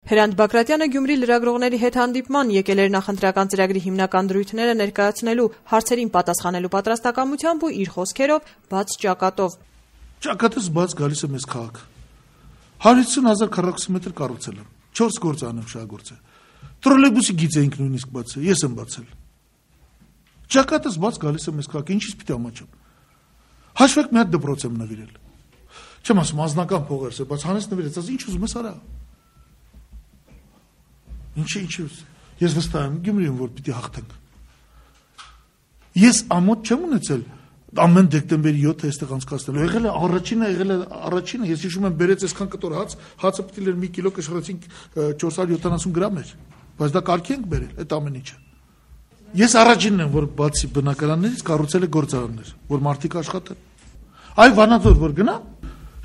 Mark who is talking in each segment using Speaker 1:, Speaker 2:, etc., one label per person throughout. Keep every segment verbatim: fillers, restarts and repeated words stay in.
Speaker 1: Հրանտ Բակրատյանը Գյումրի լրագրողների հետ հանդիպման եկել էր նախընտրական ծրագրի հիմնական դրույթները ներկայացնելու, հարցերին պատասխանելու պատրաստակամությամբ ու իր խոսքերով բաց ճակատով.
Speaker 2: Ճակատս բաց գալիս է մեզ քաղաք։ հարյուր հիսուն հազար քառակուսի մետր կառուցել եմ, չորս գործ անեմ շահագործը։ Տրոլեյբուսի գիծ էինք նույնիսկ բացել, ես եմ բացել։ Ճակատս բաց գալիս է մեզ քաղաք, ինչից պիտի ամաչեմ։ Հաշվեք մի հատ դպրոց եմ նվիրել։ Չեմ ասում անձնական փողերս է, բայց հանես նվիրեց, ասես ինչ ուզում ես արա։ Ինչի ինչի ես վստահ եմ Գյումրիում որ պիտի հաղթենք։ Ես ամոթ չեմ ունեցել ամեն դեկտեմբերի յոթը այստեղ անցկացնելու։ Եղել է առաջինը, եղել է առաջինը, ես հիշում եմ բերեց այսքան կտոր հաց, հացը պիտի լեր մի կիլո կշռեցինք չորս հարյուր յոթանասուն գրամ էր, բայց դա կարգի ենք բերել այդ ամեն ինչը։ Ես առաջինն եմ որ բացի բնակարաններից կառուցել է գործարաններ, որ մարդիկ աշխատեն։ Այ Վանաձոր որ գնա,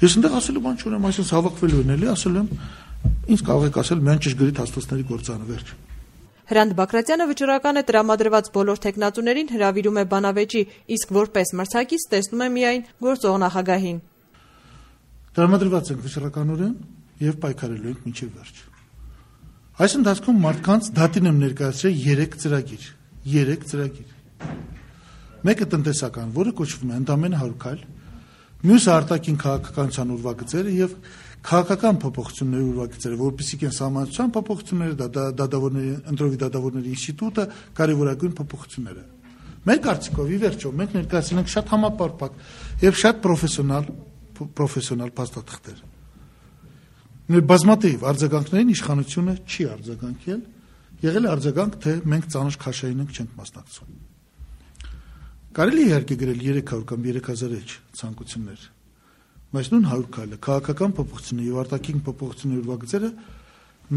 Speaker 2: ես այնտեղ ասելու բան չունեմ, այսինքն հավաքվելու են էլի, ասել եմ ինձ կարող եք ասել միայն ճշգրիտ հաստոցների գործարանը վերջ։
Speaker 1: Հրանտ Բակրատյանը վճռական է տրամադրված բոլոր տեխնատուներին հրավիրում է բանավեճի, իսկ որպես մրցակից տեսնում է միայն գործող նախագահին։
Speaker 2: Տրամադրված ենք վճռականորեն եւ պայքարելու ենք մինչեւ վերջ։ Այս ընթացքում մարդկանց դատին եմ ներկայացրել երեք ծրագիր, երեք ծրագիր։ Մեկը տնտեսական, որը կոչվում է ընդամենը հարյուր քայլ, մյուսը արտաքին քաղաքականության ուրվագծերը եւ քաղաքական փոփոխությունների ուրվագծերը, որպեսզի կեն սահմանության փոփոխությունները, դատավորների ընտրովի դատավորների ինստիտուտը, կարևորագույն փոփոխությունները։ Մեր կարծիքով ի վերջո մենք ներկայացնում ենք շատ համապարփակ եւ շատ պրոֆեսիոնալ պրոֆեսիոնալ փաստաթղթեր։ Մեր բազմաթիվ արձագանքներին իշխանությունը չի արձագանքել, եղել է արձագանք, թե մենք ծանր քաշային ենք չենք մասնակցում։ Կարելի է իհարկե գրել երեք հարյուր կամ երեք հազար էջ ցանկություններ, բայց նույն հարյուր քայլը քաղաքական փոփոխությունների եւ արտաքին փոփոխությունների ուրվագծերը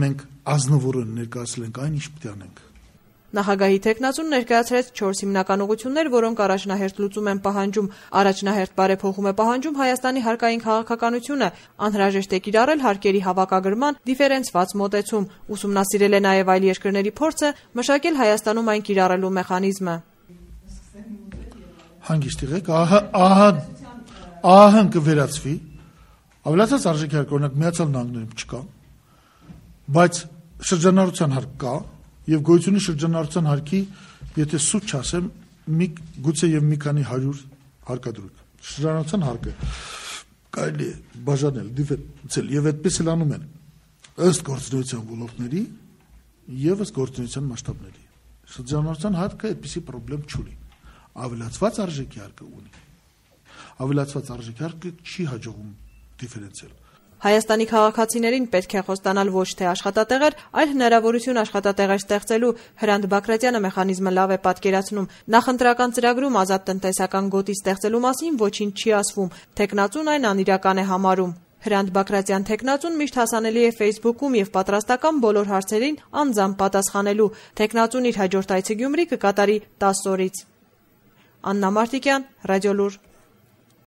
Speaker 2: մենք ազնվորեն ներկայացել ենք այն ինչ պետք է անենք։
Speaker 1: Նախագահի տեխնացուն ներկայացրեց չորս հիմնական ուղղություններ, որոնք առաջնահերթ լուծում են պահանջում, առաջնահերթ բարեփոխում է պահանջում Հայաստանի հարկային քաղաքականությունը, անհրաժեշտ է կիրառել հարկերի հավաքագրման դիֆերենցված մոտեցում, ուսումնասիրել է նաև այլ երկրների փորձը, մշակել Հայաստանում այն կիրառելու մեխանիզմը։
Speaker 2: Հանգիստ եղեք, ահա ահա ահա կվերացվի, ավելացած արժեքի հարկ, օրինակ Միացյալ Նահանգներում չկա, բայց շրջանառության հարկ կա, եւ գոյությունի շրջանառության հարկի, եթե սուտ չասեմ, մի գուցե եւ մի քանի հարյուր հարկադրույք։ Շրջանառության հարկը կարելի է բաժանել, դիֆերենցիալ եւ այդպես էլ անում են ըստ գործունեության ոլորտների եւ ըստ գործունեության մասշտաբների։ Շրջանառության հարկը այդպիսի խնդրեմ չունի։ Ավելացված արժեքի հարկը ունի։ Ավելացված արժեքի հարկը չի հաջողում դիֆերենցիալ։
Speaker 1: Հայաստանի քաղաքացիներին պետք է խոստանալ ոչ թե աշխատատեղեր, այլ հնարավորություն աշխատատեղեր ստեղծելու։ Հրանտ Բակրատյանը մեխանիզմը լավ է պատկերացնում։ Նախընտրական ծրագրում ազատ տնտեսական գոտի ստեղծելու մասին ոչինչ չի ասվում, տեխնացուն այն անիրական է համարում։ Հրանտ Բակրատյան տեխնացուն միշտ հասանելի է Facebook-ում եւ պատրաստական բոլոր հարցերին անձամբ պատասխանելու։ Տեխնացուն իր հաջորդ այցը Գյումրի կկատարի տասը օրից։ Աննա Մարտիկյան, Ռադիոլուր։